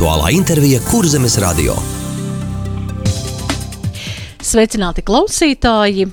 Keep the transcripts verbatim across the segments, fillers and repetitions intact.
Aktuālā intervija Kurzemes radio. Sveicināti klausītāji!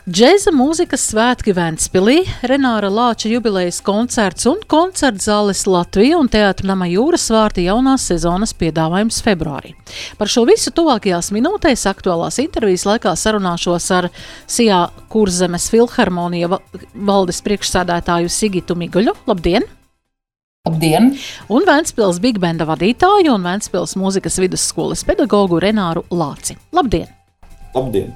Džēza mūzikas svētki Ventspilī, Renāra Lāča jubilejas koncerts un koncertzāles Latvija un Teātra nama Jūras vārti jaunās sezonas piedāvājums februārī. Par šo visu tuvākajās minūtēs aktuālās intervijas laikā sarunāšos ar Sijā Kurzemes filharmonija valdes priekšsēdētāju Sigitu Miguļu. Labdien! Labdien! Un Ventspils Big Banda vadītāju un Ventspils mūzikas vidusskolas pedagogu Renāru Lāci. Labdien! Labdien!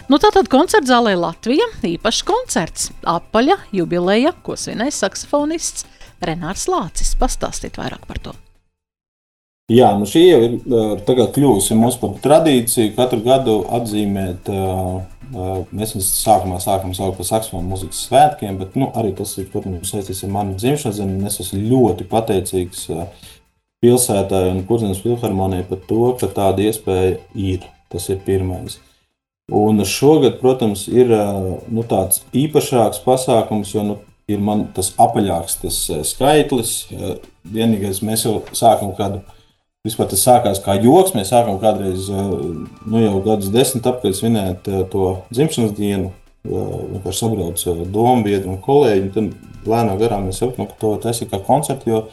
Nu tātad koncertzālē Latvija, īpašs koncerts, apaļa jubileja, ko svinēs saksofonists Renārs Lācis. Pastāstīt vairāk par to. Jā, nu šī jau ir tagad kļūsi mums par tradīciju katru gadu atzīmēt, mēs sākumā sākam saukt par saksofonu mūzikas svētkiem, bet nu, arī tas ir, protams, saistīts ar manu dzimšanas zemi, un es esmu ļoti pateicīgs pilsētai un Kurzemes filharmonijai par to, ka tāda iespēja ir. Tas ir pirmais. Un šogad, protams, ir nu, tāds īpašāks pasākums, jo nu, ir man tas apaļāks tas skaitlis. Vienīgais mēs jau sākam kādu, vispār tas sākās kā joks, mēs sākam kādreiz nu, jau gadus desmit apkārt svinēt to dzimšanas dienu. Vienkārši sabrauc dombiedri un kolēģi, un tad lēnā garā mēs saprotam, ka to taisīt kā koncertu, jo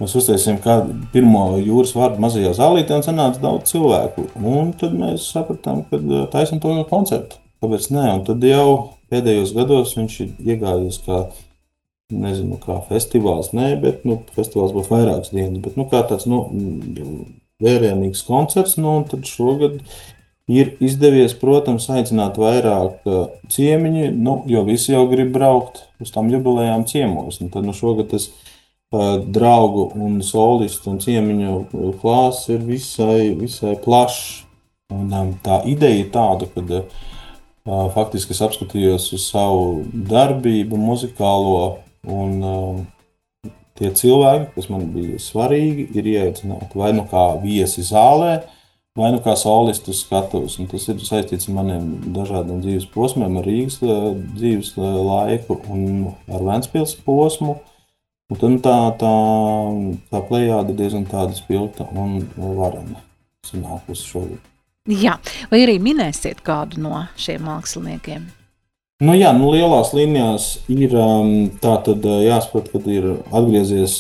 mēs uztaisījām kādu pirmo jūras vārdu mazajā zālītē un sanāca daudz cilvēku. Un tad mēs sapratām, ka taisam to kā koncertu. Kāpēc nē? Un tad jau pēdējos gados viņš ir iegājies kā, nezinu, kā festivāls. Nē, bet nu, festivāls būs vairākas dienas. Bet nu, kā tāds nu, vērienīgs koncerts. Nu, un tad šogad ir izdevies, protams, aicināt vairāk ciemiņi, nu, jo visi jau grib braukt uz tām jubilejām ciemos. Un tad nu, šogad tas draugu un solistu un ciemiņu klāsts ir visai, visai plašs. Un tā ideja ir tāda, kad uh, faktiski es apskatījos uz savu darbību muzikālo un uh, tie cilvēki, kas man bija svarīgi, ir ieaicināti vai nu kā viesi zālē, vai nu kā solistu skatuves. Un tas ir saistīts ar maniem dažādiem dzīves posmiem, ar Rīgas uh, dzīves uh, laiku un ar Ventspils posmu. Un tad tā, tā, tā plejāda diezgan tāda spilgta un varena sanākusi šogad. Jā, vai arī minēsiet kādu no šiem māksliniekiem? Nu jā, nu lielās līnijās ir tā tad jāsaprot, kad ir atgriezies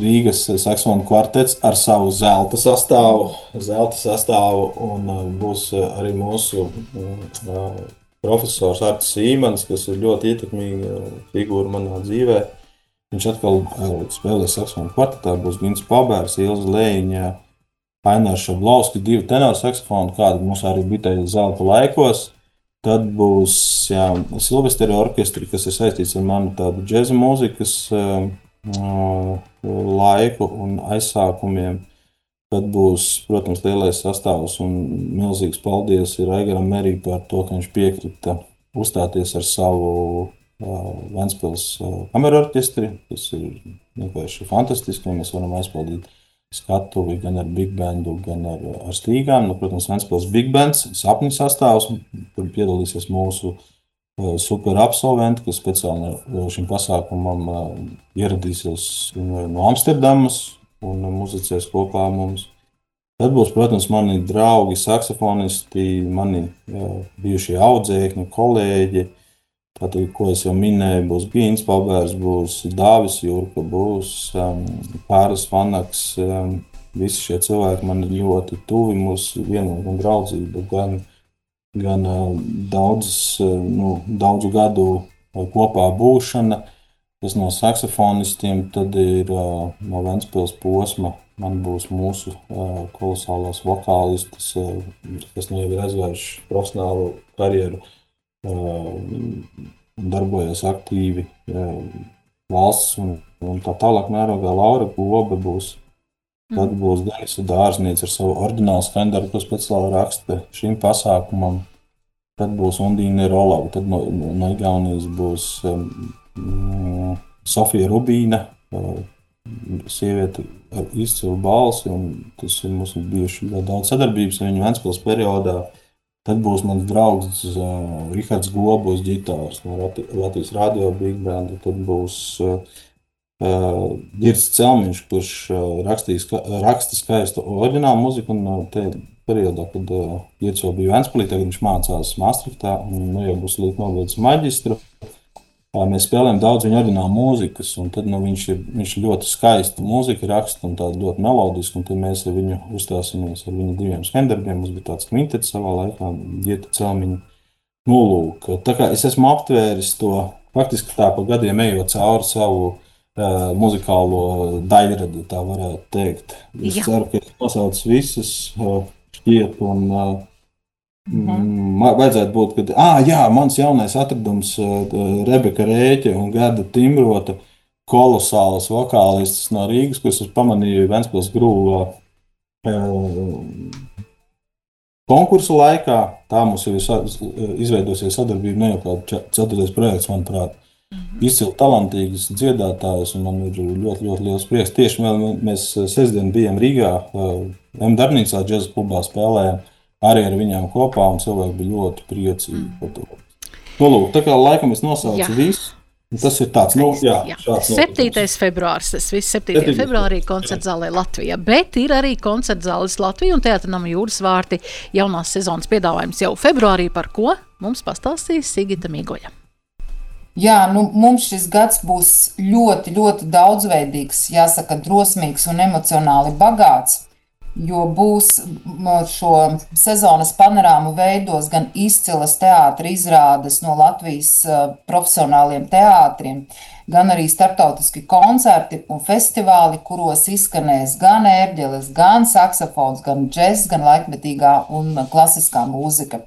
Rīgas saksofonu kvartets ar savu zelta sastāvu, zelta sastāvu un būs arī mūsu profesors Artis Sīmans, kas ir ļoti ietekmīga figūra manā dzīvē. Viņš atkal spēlēs saksofonu kvartetā, būs Gins Pabērs, Ilza Lējiņa, Ainārs Šablovski, divi tenori saksofoni, kādi mums arī bija tajā zelta laikos. Tad būs jā, Silvesteri orkestri, kas ir saistīts ar manu tādu džeza mūzikas uh, laiku un aizsākumiem. Tad būs, protams, lielais sastāvs un milzīgs paldies ir Aigaram Merī par to, ka viņš piekrita uzstāties ar savu Ventspils kameru orķestri. Tas ir vienkārši fantastiski, un mēs varam aizpildīt skatuvi gan ar big bandu, gan ar, ar stīgām. Nu, protams, Ventspils big bands, sapņu sastāvs, kur piedalīsies mūsu super absolventi, kas speciāli šim pasākumam ieradīsies no Amsterdamas un muzicēs kopā mums. Tad būs, protams, mani draugi, saksofonisti, mani jā, bijušie audzēkņi, kolēģi. Tātad, ko es jau minēju, būs Gīns Pabērs, būs Dāvis Jurka, būs um, Pāris Vanaks. Um, visi šie cilvēki man ir ļoti tuvi, mūsu vienota un draudzība, gan, gan uh, daudzas, uh, nu, daudzu gadu uh, kopā būšana. Tas no saksofonistiem, tad ir uh, no Ventspils posma. Man būs mūsu uh, kolosālās vokālistas, uh, kas nu jau ir aizgājuši profesionālu karjeru. Darbojas aktīvi valsts un, un tā tālāk mērogā. Laura Gobe būs. Tad būs Denisa Dārzniece ar savu oriģinālu skaņdarbu, ko speciāli raksta šim pasākumam. Tad būs Undīne Rolava. Tad no, no Igaunijas būs um, Sofija Rubīna, uh, sieviete ar izcilu balsi, un tas ir mums bijuši daudz sadarbības ar viņu Ventspils periodā. Tad būs mans draugs uh, Rihards Gobos ģitārs no Latvijas radio Big Band. Tad būs uh, uh, Girts Celmiņš, kurš uh, rakstīs, raksta skaistu oriģinālu mūziku, un uh, te periodā, kad uh, Girts jau bija Ventspilī, tagad viņš mācās Maastrichtā, un nu, jau būs līdz nobeidz maģistru. Uh, mēs spēlējam daudz viņa oriģinālu mūzikas, un tad nu, viņš, ir, viņš ir ļoti skaistu mūziku raksta, un tāda ļoti melodisku, un tad mēs ar viņu uzstāsimies ar viņu diviem skandarbiem. Mums bija tāds kvintets savā laikā, Girta Celmiņa. Nu, lūk, tā kā es esmu aptvēris to, faktiski tā pa gadiem ejot cauri savu uh, muzikālo daļradi, tā varētu teikt. Es Jā. ceru, ka es nosaucu visas uh, šķiet, un uh, mm. man vajadzētu būt, kad, ā, jā, mans jaunais atradums uh, Rebeka Rēķe un Gerda Timrota, kolosālas vokālistas no Rīgas, kas es pamanīju Ventspils Grūvā uh, konkursu laikā. Tā mums jau ir izveidosies sadarbība, ne jau kāds ceturtais projekts, manuprāt. Mm-hmm. Izcili talantīgas dziedātājas, un man ir ļoti, ļoti liels prieks. Tieši vēl mēs sestdien bijām Rīgā, M darbnīcā džeza klubā spēlējām arī ar viņām kopā, un cilvēki bija ļoti priecīgi mm. par to. Nu, lūk, tā kā laikam es nosaucu jā. visu. Tas ir tāds, nu, jā, jā. septītais februāris, tas viss septītajā februārī koncertzālē Latvijā, bet ir arī koncertzāles Latvija un Teātra nama Jūras vārti jaunās sezonas piedāvājums jau februārī, par ko mums pastāstīs Sigita Migoja. Jā, nu, mums šis gads būs ļoti, ļoti daudzveidīgs, jāsaka, drosmīgs un emocionāli bagāts, jo būs šo sezonas panorāmu veidos gan izcilas teātra izrādes no Latvijas profesionāliem teātriem, gan arī starptautiski koncerti un festivāli, kuros izskanēs gan ērģeles, gan saksofons, gan džess, gan laikmetīgā un klasiskā mūzika.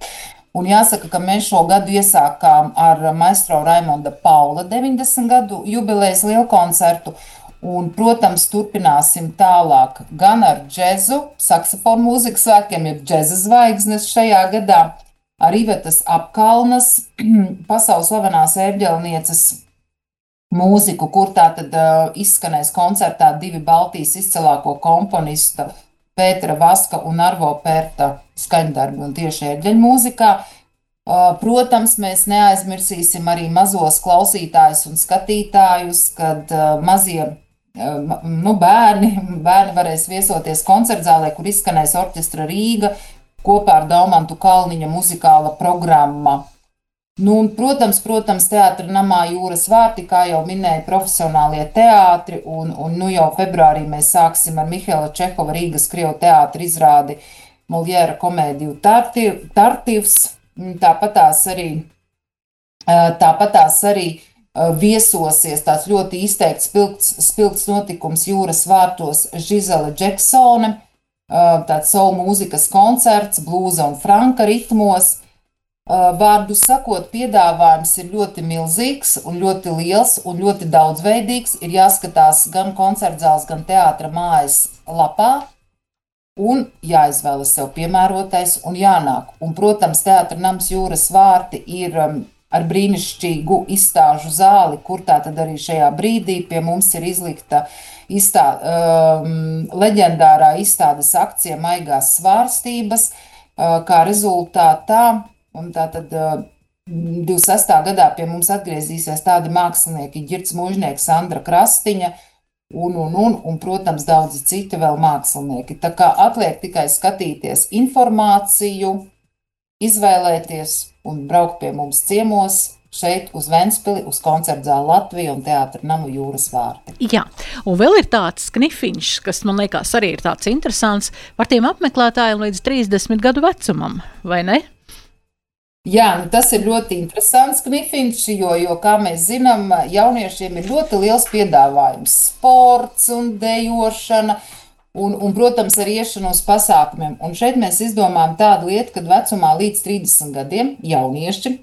Un jāsaka, ka mēs šo gadu iesākām ar maestro Raimonda Paula deviņdesmit gadu jubilejas lielkoncertu. Un, protams, turpināsim tālāk gan ar džezu, saksofonu mūzikas svētkiem, jeb džeza zvaigznes šajā gadā, ar Ivetas Apkalnas, pasaules slavenās ērģelnieces mūziku, kur tā tad uh, izskanēs koncertā divi Baltijas izcilāko komponista Pētera Vaska un Arvo Pērta skaņdarbi un tieši ērģeļu mūzikā. Uh, protams, mēs neaizmirsīsim arī mazos klausītājus un skatītājus, kad uh, mazie Nu, bērni, bērni varēs viesoties koncertzālē, kur izskanēs orķestra Rīga kopā ar Daumantu Kalniņa muzikāla programma. Nu, un, protams, protams, Teātra namā Jūras vārti, kā jau minēja, profesionālie teātri, un, un nu jau februārī mēs sāksim ar Mihaila Čehova Rīgas Krievu teātra izrādi Moljēra komēdiju Tartivs, tāpatās arī, tāpatās arī viesosies tāds ļoti izteikts spilgts, spilgts notikums Jūras vārtos Žizela Džeksone, tāds soul mūzikas koncerts, blūza un franka ritmos. Vārdu sakot, piedāvājums ir ļoti milzīgs un ļoti liels un ļoti daudzveidīgs. Ir jāskatās gan koncertzāles, gan teātra mājas lapā un jāizvēlas sev piemērotais un jānāk. Un, protams, Teātra nams Jūras vārti ir ar brīnišķīgu izstāžu zāli, kur tā tad arī šajā brīdī pie mums ir izlikta izstā, um, leģendārā izstādes akcija Maigās svārstības, uh, kā rezultātā, un tā tad uh, divdesmit sestā gadā pie mums atgriezīsies tādi mākslinieki Girts Mužnieks, Sandra Krastiņa, un, un, un, un, protams, daudzi citi vēl mākslinieki. Tā kā atliek tikai skatīties informāciju, izvēlēties un braukt pie mums ciemos šeit uz Ventspili, uz koncertzāli Latviju un Teātra namu Jūras vārti. Jā, un vēl ir tāds knifiņš, kas man liekas arī ir tāds interesants par tiem apmeklētājiem līdz trīsdesmit gadu vecumam, vai ne? Jā, nu tas ir ļoti interesants knifiņš, jo, jo, kā mēs zinām, jauniešiem ir ļoti liels piedāvājums. Sports un dejošana, Un, un, protams, ar iešanu uz pasākumiem. Un šeit mēs izdomājam tādu lietu, kad vecumā līdz trīsdesmit gadiem jaunieši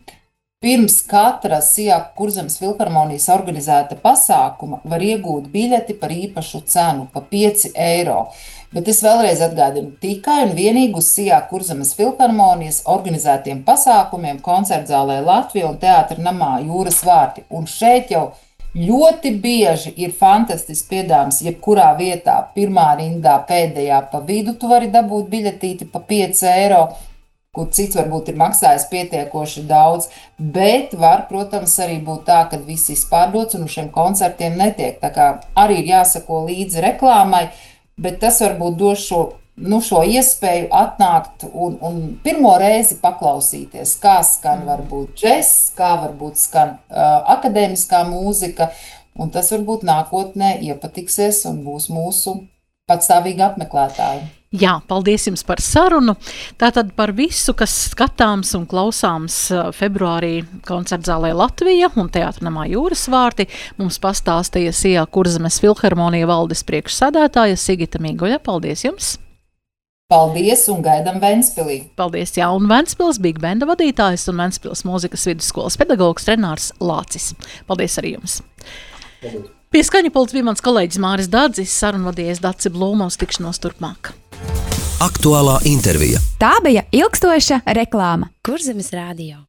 pirms katra Sijāku Kurzemes filharmonijas organizēta pasākuma var iegūt biļeti par īpašu cenu, pa pieci eiro. Bet es vēlreiz atgādinu, tikai un vienīgi uz Sijāku Kurzemes filharmonijas organizētiem pasākumiem koncertzālē Latvija un Teātra namā Jūras vārti. Un šeit jau ļoti bieži ir fantastisks piedāvājums, jebkurā vietā, pirmā rindā, pēdējā pa vidu, tu vari dabūt biļetīti pa pieci eiro. kur cits varbūt ir maksājis pietiekoši daudz, bet var, protams, arī būt tā, ka viss izpārdots un uz šiem koncertiem netiek. Tā kā arī ir jāsako līdzi reklāmai, bet tas varbūt dos šo, nu, šo iespēju atnākt un, un pirmo reizi paklausīties, kā skan varbūt džess, kā varbūt skan uh, akadēmiskā mūzika, un tas varbūt nākotnē iepatiksies un būs mūsu patstāvīgi apmeklētāji. Jā, paldies jums par sarunu. Tātad par visu, kas skatāms un klausāms februārī koncertzālē Latvija un Teātra namā Jūras vārti, mums pastāstīja Sijā Kurzemes filharmonija valdes priekšsēdētāja Sigita Mīgoļa. Paldies jums! Paldies un gaidam Ventspilī! Paldies, jā, un Ventspils Big Banda vadītājs un Ventspils mūzikas vidusskolas pedagogs Renārs Lācis. Paldies arī jums! Paldies. Pie skaņa pults bija mans kolēģis Māris Dadzis, sarunvadījies Daci Blūma, uz tikšanos turpmāk. Aktuālā intervija. Tā bija ilgstoša reklāma. Kurzemes radio.